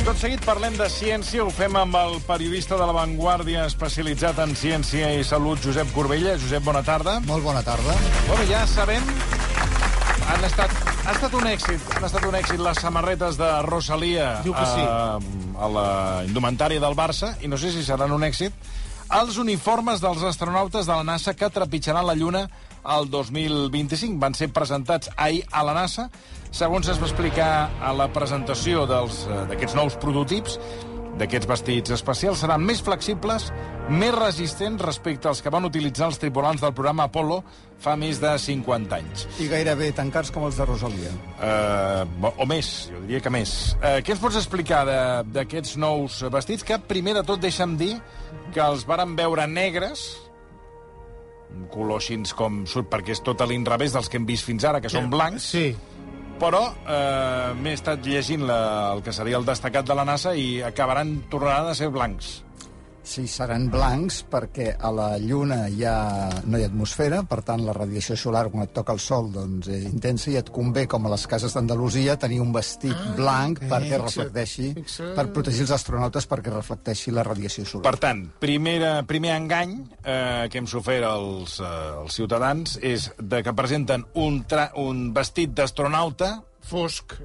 Tot seguit parlem de ciència, ho fem amb el periodista de La Vanguardia especialitzat en ciència i salut, Josep Corbella. Josep, bona tarda. Molt bona tarda. Bueno, ja sabem, ha estat un èxit les samarretes de Rosalía a la indumentària del Barça, i no sé si seran un èxit els uniformes dels astronautes de la NASA que trepitjaran la Lluna el 2025. Van ser presentats ahir a la NASA. Segons es va explicar a la presentació d'aquests nous prototips, d'aquests vestits especials, seran més flexibles, més resistents respecte als que van utilitzar els tripulants del programa Apollo fa més de 50 anys. I gairebé tan cars com els de Rosalía. O més, jo diria que més. Què ens pots explicar d'aquests nous vestits que, primer de tot, deixa'm dir que els vàrem veure negres, un color així com surt, perquè és tot a l'inrevés dels que hem vist fins ara, que són blancs. Sí. Però m'he estat llegint el que seria el destacat de la NASA i tornaran a ser blancs. Sí, seran blancs perquè a la Lluna no hi ha atmosfera, per tant la radiació solar quan et toca el sol doncs, és intensa i et convé, com a les cases d'Andalusia, tenir un vestit blanc perquè reflecteixi, per protegir els astronautes perquè reflecteixi la radiació solar. Per tant, primer engany que hem sofert els ciutadans és que presenten un vestit d'astronauta fosc,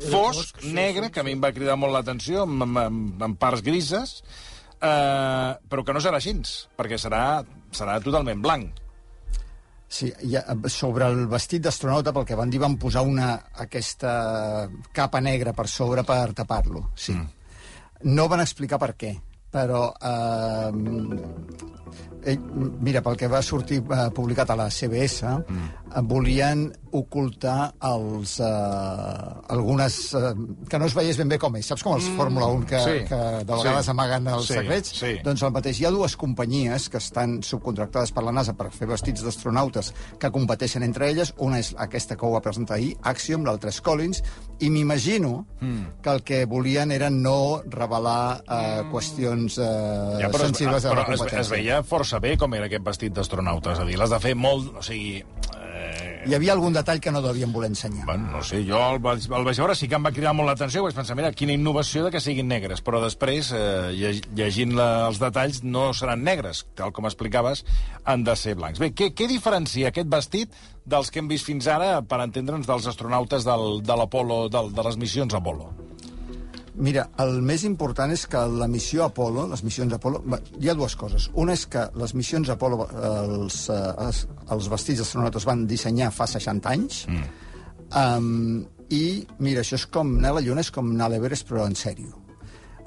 negre, que a mi em va cridar molt l'atenció, amb parts grises, però que no serà així, perquè serà totalment blanc. Sí, sobre el vestit d'astronauta, pel que van dir, van posar aquesta capa negra per sobre per tapar-lo, sí. No van explicar per què, però mira, pel que va sortir publicat a la CBS, volien ocultar algunes que no es veiés ben bé com és. Saps com els Fórmula 1 que de vegades amaguen els secrets? Sí. Doncs el mateix. Hi ha dues companyies que estan subcontractades per la NASA per fer vestits d'astronautes que competeixen entre elles. Una és aquesta que ho va presentar ahir, Axiom, l'altra és Collins, i m'imagino que el que volien era no revelar qüestions sensibles de la competència. Es veia força bé com era aquest vestit d'astronauta, és a dir, l'has de fer molt... O sigui... Hi havia algun detall que no devien voler ensenyar. Bueno, no sé, jo el vaig veure, sí que em va cridar molt l'atenció, vaig pensar, mira, quina innovació de que siguin negres, però després, llegint els detalls, no seran negres, tal com explicaves, han de ser blancs. Bé, què diferencia aquest vestit dels que hem vist fins ara, per entendre'ns, dels astronautes de l'Apollo, de les missions Apollo? Mira, el més important és que la missió Apollo, les missions Apollo... Hi ha dues coses. Una és que les missions Apollo, els vestits astronautes van dissenyar fa 60 anys, i, mira, això és com anar a la Lluna, és com anar a l'Everest, però en sèrio.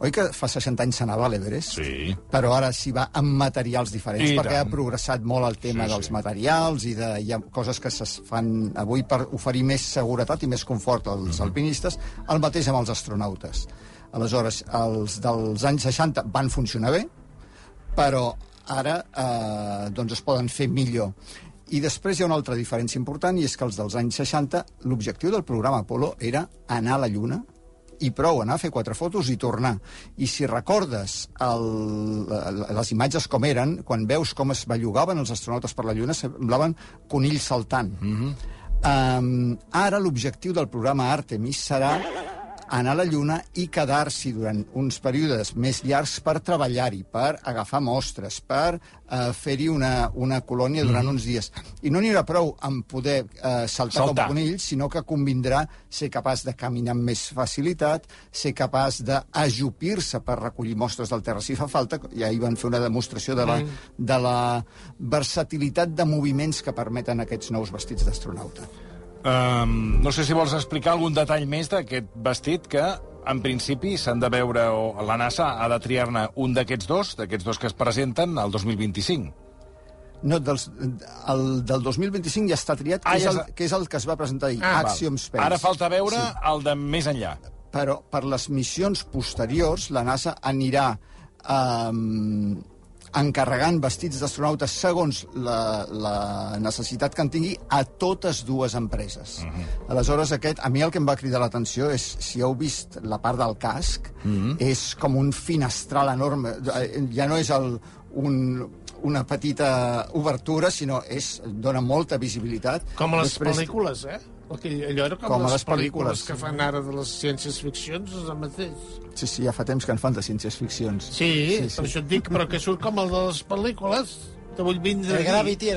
Oi que fa 60 anys s'anava a l'Everest? Sí. Però ara s'hi va amb materials diferents, perquè ha progressat molt el tema dels materials i hi ha coses que es fan avui per oferir més seguretat i més confort als alpinistes, el mateix amb els astronautes. Aleshores, els dels anys 60 van funcionar bé, però ara doncs es poden fer millor. I després hi ha una altra diferència important, i és que els dels anys 60, l'objectiu del programa Apollo era anar a la Lluna, i prou, anar a fer 4 fotos i tornar. I si recordes les imatges com eren, quan veus com es bellugaven els astronautes per la Lluna, semblaven conills saltant. Ara l'objectiu del programa Artemis serà anar a la Lluna i quedar-s'hi durant uns períodes més llargs per treballar-hi, per agafar mostres, per fer-hi una colònia durant uns dies. I no n'hi haurà prou amb poder saltar com conills, sinó que convindrà ser capaç de caminar amb més facilitat, ser capaç d'ajupir-se per recollir mostres del terra si fa falta. I ahir van fer una demostració de la versatilitat de moviments que permeten aquests nous vestits d'astronauta. No sé si vols explicar algun detall més d'aquest vestit que, en principi, s'han de veure, o la NASA ha de triar-ne un d'aquests dos que es presenten al 2025. No, el del 2025 ja està triat, que és el que es va presentar ahir, Axiom Space. Ara falta veure el de més enllà. Però per les missions posteriors, la NASA anirà encarregant vestits d'astronautes segons la necessitat que en tingui a totes dues empreses. Aleshores, a mi el que em va cridar l'atenció és, si heu vist la part del casc, és com un finestral enorme. Ja no és una petita obertura, sinó dona molta visibilitat. Com a les pel·lícules, Allò era com les pel·lícules que fan ara de les ciències-ficcions, és el mateix. Sí, ja fa temps que en fan de ciències-ficcions. Sí, per això et dic, però que surt com el de les pel·lícules. Te vull vindre el Gravity,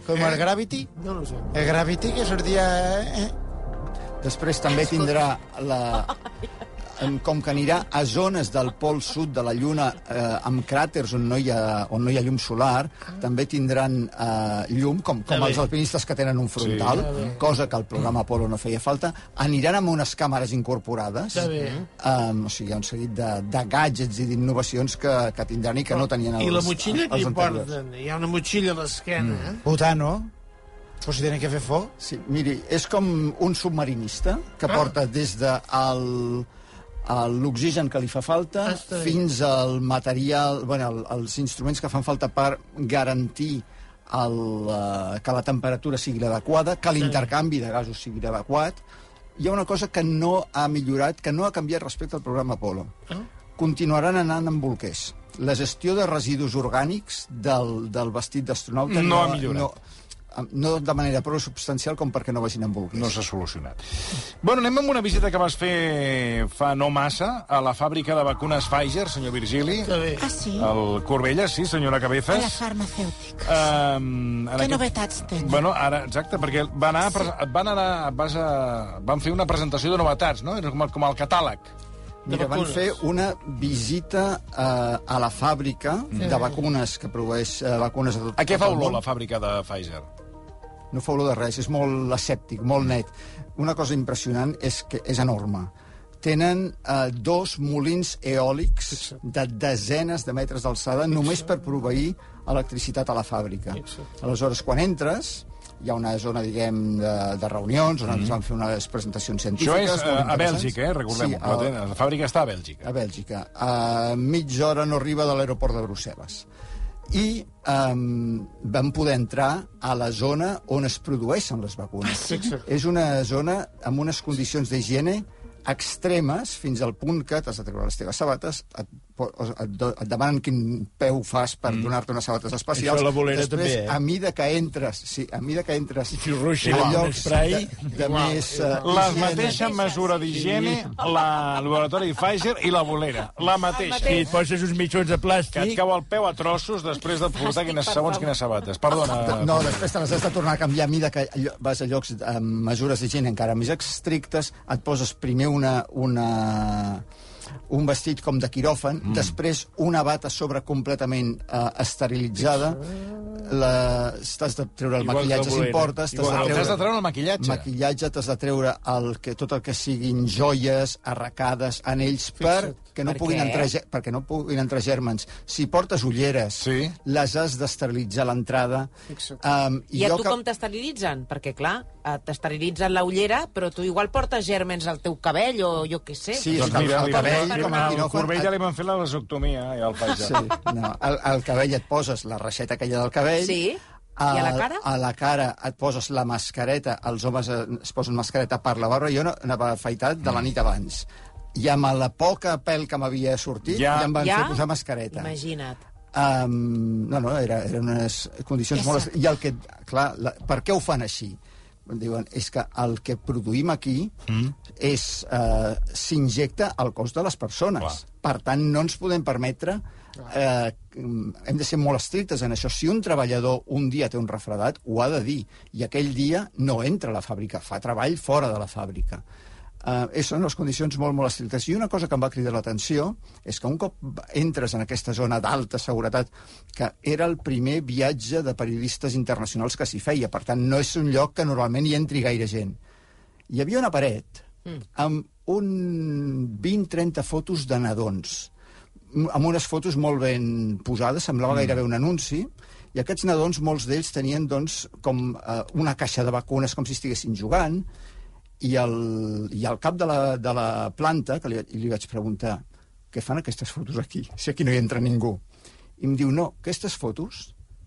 com el Gravity. No sé. El Gravity que sortia... Després també tindrà com que anirà a zones del pol sud de la Lluna amb cràters on no hi ha llum solar, també tindran llum, com els alpinistes que tenen un frontal, cosa que el programa Apollo no feia falta. Aniran amb unes càmeres incorporades. O sigui, hi ha un seguit de gadgets i d'innovacions que tindran i que no tenien els anteriors. I la motxilla que hi porten? Hi ha una motxilla a l'esquena. Butano. Pues si tenen que fer foc. Sí, miri, és com un submarinista que porta des de l'oxigen que li fa falta fins al material, els instruments que fan falta per garantir que la temperatura sigui adequada, que l'intercanvi de gasos sigui adequat. Hi ha una cosa que no ha millorat, que no ha canviat respecte al programa Apollo. Continuaran anant amb bolquers. La gestió de residus orgànics del vestit d'astronauta no ha millorat. No de manera prou substancial com perquè no vagin amb bolquers. No s'ha solucionat. Bueno, anem amb una visita que vas fer fa no massa a la fàbrica de vacunes Pfizer, senyor Virgili. Ah, sí? Al Corbella, sí, senyora Cabezas. A la farmacèutica. Què novetats tenen? Bueno, ara, exacte, perquè van fer una presentació de novetats, no? Era com el catàleg. Mira, van fer una visita a la fàbrica de vacunes, que produeix vacunes a tot el món. A què fa olor la fàbrica de Pfizer? No fa olor de res, és molt asèptic, molt net. Una cosa impressionant és que és enorme. Tenen 2 molins eòlics de desenes de metres d'alçada només per proveir electricitat a la fàbrica. Aleshores, quan entres, hi ha una zona, diguem, de reunions, on ens van fer unes presentacions científiques. Això és a Bèlgica, recordem-ho. Sí, la fàbrica està a Bèlgica. A Bèlgica. A mitja hora no arriba de l'aeroport de Brussel·les. I vam poder entrar a la zona on es produeixen les vacunes. És una zona amb unes condicions d'higiene extremes, fins al punt que t'has de treure les teves sabates, et demanen quin peu fas per donar-te unes sabates especials. Això la bolera després, també, a mida que entres si ruixen a amb llocs spray, de més la mateixa mesura d'higiene, el laboratori Pfizer i la bolera. La mateixa. i et poses uns mitjons de Que et plàstic. cau el peu a trossos després de portar quines sabates. Perdona. No, després te les has de tornar a canviar a mida que vas a llocs amb mesures d'higiene encara més estrictes, et poses primer un vestit com de quiròfan, després una bata sobre completament esterilitzada, t'has de treure el maquillatge si portes, T'has de treure el maquillatge, t'has de treure tot el que siguin joies, arracades, anells, perquè no puguin entrar gèrmens. Si portes ulleres, les has d'esterilitzar a l'entrada. I a tu com t'esterilitzen? Perquè, clar, t'esterilitzen la ullera, però tu igual portes gèrmens al teu cabell o jo què sé. Sí, Doncs mira, al Corbell ja li van fer la vasectomia, ja al Pfizer. Sí, no, al cabell et poses la reixeta aquella del cabell. Sí. I a la cara? A la cara et poses la mascareta, els homes es posen mascareta per la barba, jo anava afaitat de la nit abans. I amb la poca pèl que m'havia sortit, ja em van fer posar mascareta. Imagina't. No, eren unes condicions molt... I el que, clar, per què ho fan així? Diuen, és que el que produïm aquí s'injecta al cos de les persones. Per tant, no ens podem permetre... hem de ser molt estrictes en això. Si un treballador un dia té un refredat, ho ha de dir. I aquell dia no entra a la fàbrica, fa treball fora de la fàbrica. Són les condicions molt, molt estrictes. I una cosa que em va cridar l'atenció és que un cop entres en aquesta zona d'alta seguretat, que era el primer viatge de periodistes internacionals que s'hi feia, per tant, no és un lloc que normalment hi entri gaire gent. Hi havia una paret amb 20-30 fotos de nadons, amb unes fotos molt ben posades, semblava gairebé un anunci, i aquests nadons, molts d'ells tenien doncs, com una caixa de vacunes, com si estiguessin jugant, i al cap de la planta, que li vaig preguntar, què fan aquestes fotos aquí, si aquí no hi entra ningú? I em diu, no, aquestes fotos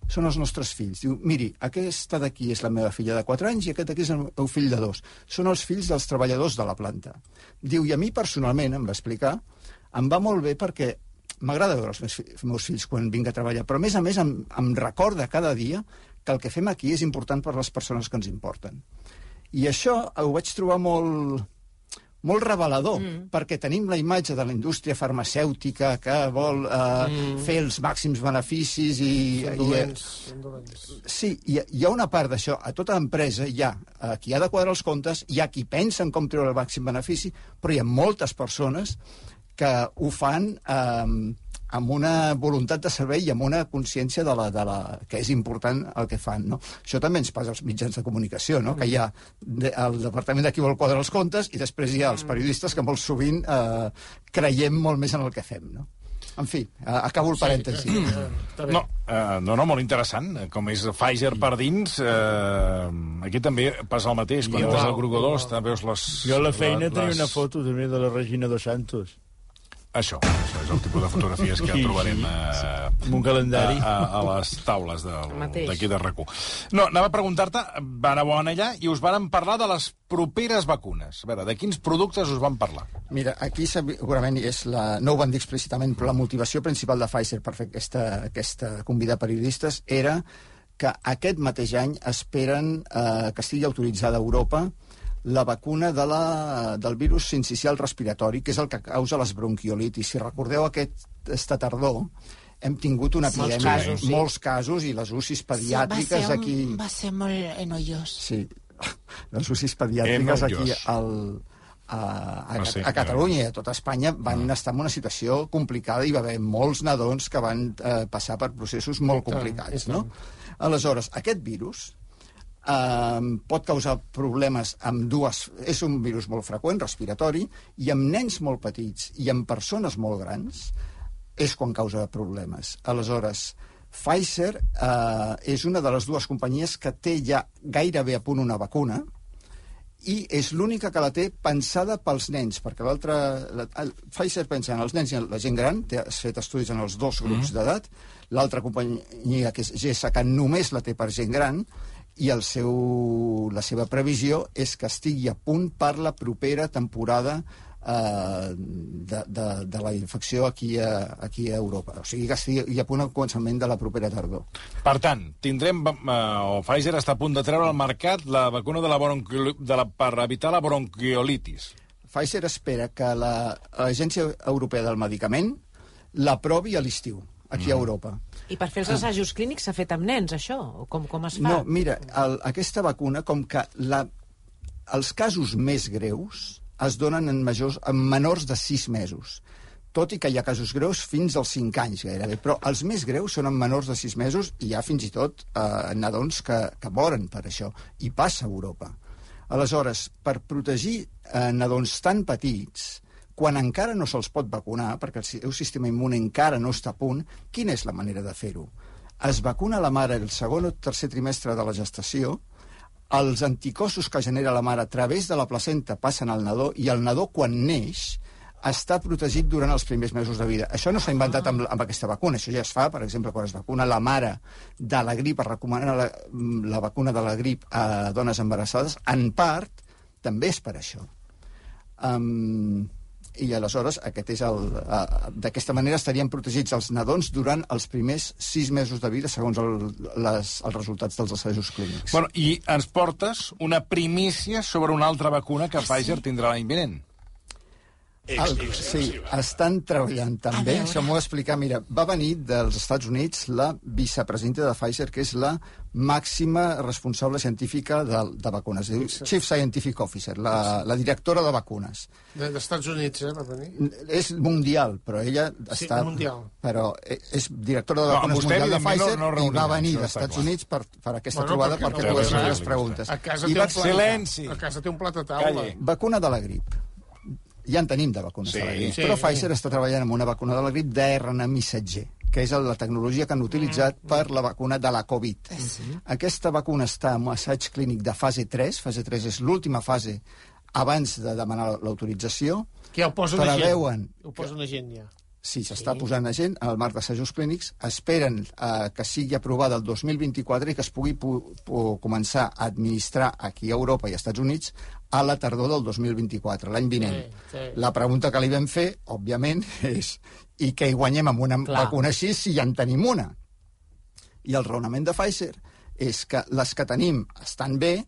són els nostres fills. Diu, miri, aquesta d'aquí és la meva filla de 4 anys i aquest d'aquí és el meu fill de 2. Són els fills dels treballadors de la planta. Diu, i a mi personalment, em va explicar, em va molt bé perquè m'agrada veure els meus fills quan vinc a treballar, però a més em recorda cada dia que el que fem aquí és important per les persones que ens importen. I això ho vaig trobar molt revelador, perquè tenim la imatge de la indústria farmacèutica que vol fer els màxims beneficis Sí, hi ha una part d'això. A tota empresa hi ha qui ha de quadrar els comptes, hi ha qui pensa en com treure el màxim benefici, però hi ha moltes persones que ho fan amb una voluntat de servei i amb una consciència que és important el que fan, no? Això també ens passa als mitjans de comunicació, no? Que hi ha el departament de qui vol quadrar els comptes i després hi ha els periodistes que molt sovint creiem molt més en el que fem, no? En fi, acabo el parèntesi. No, molt interessant. Com és Pfizer per dins, aquí també passa el mateix. Quan entres al Grupo 2, també veus les... Jo a la feina tenia una foto també de la Regina dos Santos. Això és el tipus de fotografies que trobarem amb un calendari a les taules d'aquí de RAC1. No, anava a preguntar-te, anàveu allà i us varen parlar de les properes vacunes. A veure, de quins productes us van parlar? Mira, aquí segurament no ho van dir explícitament, però la motivació principal de Pfizer per fer aquesta convidar periodistes era que aquest mateix any esperen que estigui autoritzada a Europa la vacuna del virus sincicial respiratori, que és el que causa les bronquiolitis. Si recordeu aquesta tardor, hem tingut una epidèmia, molts casos, i les UCIs pediàtriques aquí... Va ser molt enollós. Sí, les UCIs pediàtriques aquí a Catalunya i a tota Espanya van estar en una situació complicada i va haver molts nadons que van passar per processos molt complicats, no? Aleshores, aquest virus pot causar problemes amb és un virus molt freqüent, respiratori, i amb nens molt petits i amb persones molt grans és quan causa problemes. Aleshores, Pfizer és una de les dues companyies que té ja gairebé a punt una vacuna i és l'única que la té pensada pels nens, perquè Pfizer pensa en els nens i en la gent gran, ha fet estudis en els dos grups d'edat, l'altra companyia, que és GSK, només la té per gent gran, i la seva previsió és que estigui a punt per la propera temporada de la infecció aquí a Europa. O sigui, que estigui a punt al començament de la propera tardor. Per tant, tindrem, Pfizer està a punt de treure al mercat la vacuna per evitar la bronquiolitis. Pfizer espera que l'Agència Europea del Medicament l'aprovi a l'estiu, aquí a Europa. I per fer els assajos clínics s'ha fet amb nens, això? O com es fa? No, mira, aquesta vacuna, com que els casos més greus es donen en menors de 6 mesos, tot i que hi ha casos greus fins als 5 anys, gairebé. Però els més greus són en menors de 6 mesos i hi ha fins i tot nadons que moren per això. I passa a Europa. Aleshores, per protegir nadons tan petits, quan encara no se'ls pot vacunar, perquè el seu sistema immune encara no està a punt, quina és la manera de fer-ho? Es vacuna la mare el segon o tercer trimestre de la gestació, els anticossos que genera la mare a través de la placenta passen al nadó, i el nadó, quan neix, està protegit durant els primers mesos de vida. Això no s'ha inventat amb aquesta vacuna, això ja es fa, per exemple, quan es vacuna la mare de la grip, es recomana la vacuna de la grip a dones embarassades, en part, també és per això. I aleshores d'aquesta manera estarien protegits els nadons durant els primers 6 mesos de vida, segons els resultats dels assajos clínics. Bueno, i ens portes una primícia sobre una altra vacuna que Pfizer tindrà l'any vinent. Sí, estan treballant també, això m'ho va explicar. Mira, va venir dels Estats Units la vicepresidenta de Pfizer, que és la màxima responsable científica de vacunes, Chief Scientific Officer, la directora de vacunes. Dels Estats Units, va venir? És mundial, però ella està... Sí, mundial. Però és directora de vacunes mundial de Pfizer i va venir dels Estats Units per aquesta trobada perquè pogués fer les preguntes. A casa té un plat a taula. Vacuna de la grip. Ja en tenim de vacunes de la grip, però Pfizer està treballant amb una vacuna de la grip d'RNA missatger, que és la tecnologia que han utilitzat per la vacuna de la Covid. Aquesta vacuna està en un assaig clínic de fase 3. Fase 3 és l'última fase abans de demanar l'autorització. Que ja ho posen a gent. Ho posen a gent, ja. Sí, s'està posant a gent al marc d'assajos clínics. Esperen que sigui aprovada el 2024 i que es pugui començar a administrar aquí a Europa i als Estats Units a la tardor del 2024, l'any vinent. La pregunta que li vam fer, òbviament, és i què hi guanyem amb una vacuna així si ja en tenim una? I el raonament de Pfizer és que les que tenim estan bé,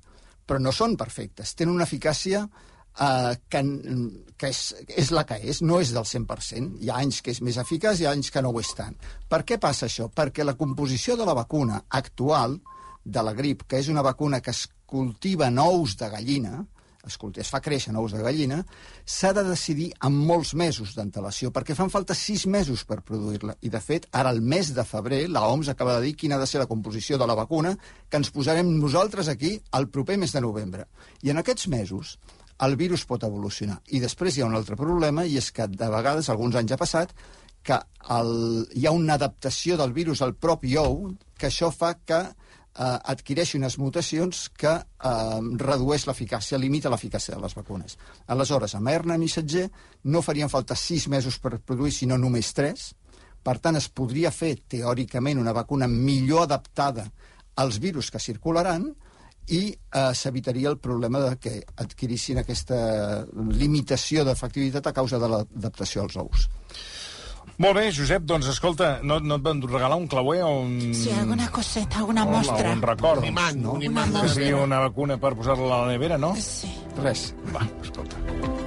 però no són perfectes. Tenen una eficàcia que és la que és, no és del 100%. Hi ha anys que és més eficaç i hi ha anys que no ho és tant. Per què passa això? Perquè la composició de la vacuna actual de la grip, que és una vacuna que es cultiva en ous de gallina, es fa créixer en ous de gallina, s'ha de decidir amb molts mesos d'antelació, perquè fan falta 6 mesos per produir-la. I, de fet, ara el mes de febrer, l'OMS acaba de dir quina ha de ser la composició de la vacuna que ens posarem nosaltres aquí el proper mes de novembre. I en aquests mesos el virus pot evolucionar. I després hi ha un altre problema, i és que de vegades, alguns anys ha passat, que hi ha una adaptació del virus al propi ou, que això fa que adquireixi unes mutacions que redueix l'eficàcia, limita l'eficàcia de les vacunes. Aleshores, amb RNA missatger no farien falta 6 mesos per produir, sinó només 3. Per tant, es podria fer, teòricament, una vacuna millor adaptada als virus que circularan i s'evitaria el problema de que adquirissin aquesta limitació d'efectivitat a causa de l'adaptació als ous. Molt bé, Josep, doncs escolta, no et van regalar un clauer o un... Sí, alguna coseta, alguna mostra. Un record. Un imant. Sí, una vacuna per posar-la a la nevera, no? Sí. Res. Va, escolta,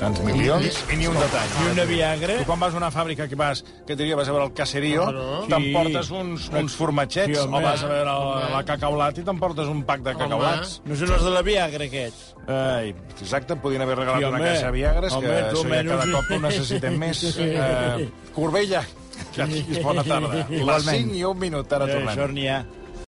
tants milions i ni un detall. I una Viagra. Tu quan vas a una fàbrica que vas a veure el Caserío, t'emportes uns formatgets, o vas a veure la Cacaulat i t'emportes un pack de cacaulats. No són els de la Viagra, aquests. Ai, exacte, podien haver regalat una caixa de Viagres, que això ja cada cop ho necessitem més. Corbella, que tinguis bona tarda. Les 5 i 1 minut, ara tornem. Això n'hi ha.